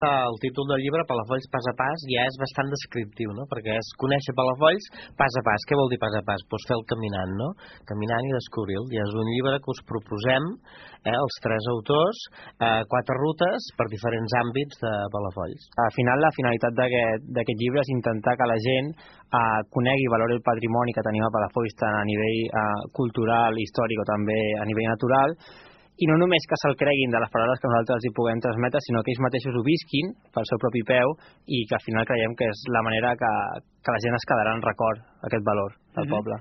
El títol del llibre, Palafolls pas a pas, ja és bastant descriptiu, no? Perquè és conèixer Palafolls pas a pas. Què vol dir pas a pas? Doncs fer el caminant, no? Caminant i descobrir-lo. Ja és un llibre que us proposem, els 3 autors, 4 rutes per diferents àmbits de Palafolls. Al final, la finalitat d'aquest llibre és intentar que la gent conegui i valori el patrimoni que tenim a Palafolls tant a nivell cultural, històric o també a nivell natural, i no només que se'l creguin de les paraules que nosaltres hi puguem transmetre, sinó que ells mateixos ho visquin pel seu propi peu i que al final creiem que és la manera que la gent es quedarà en record aquest valor del poble.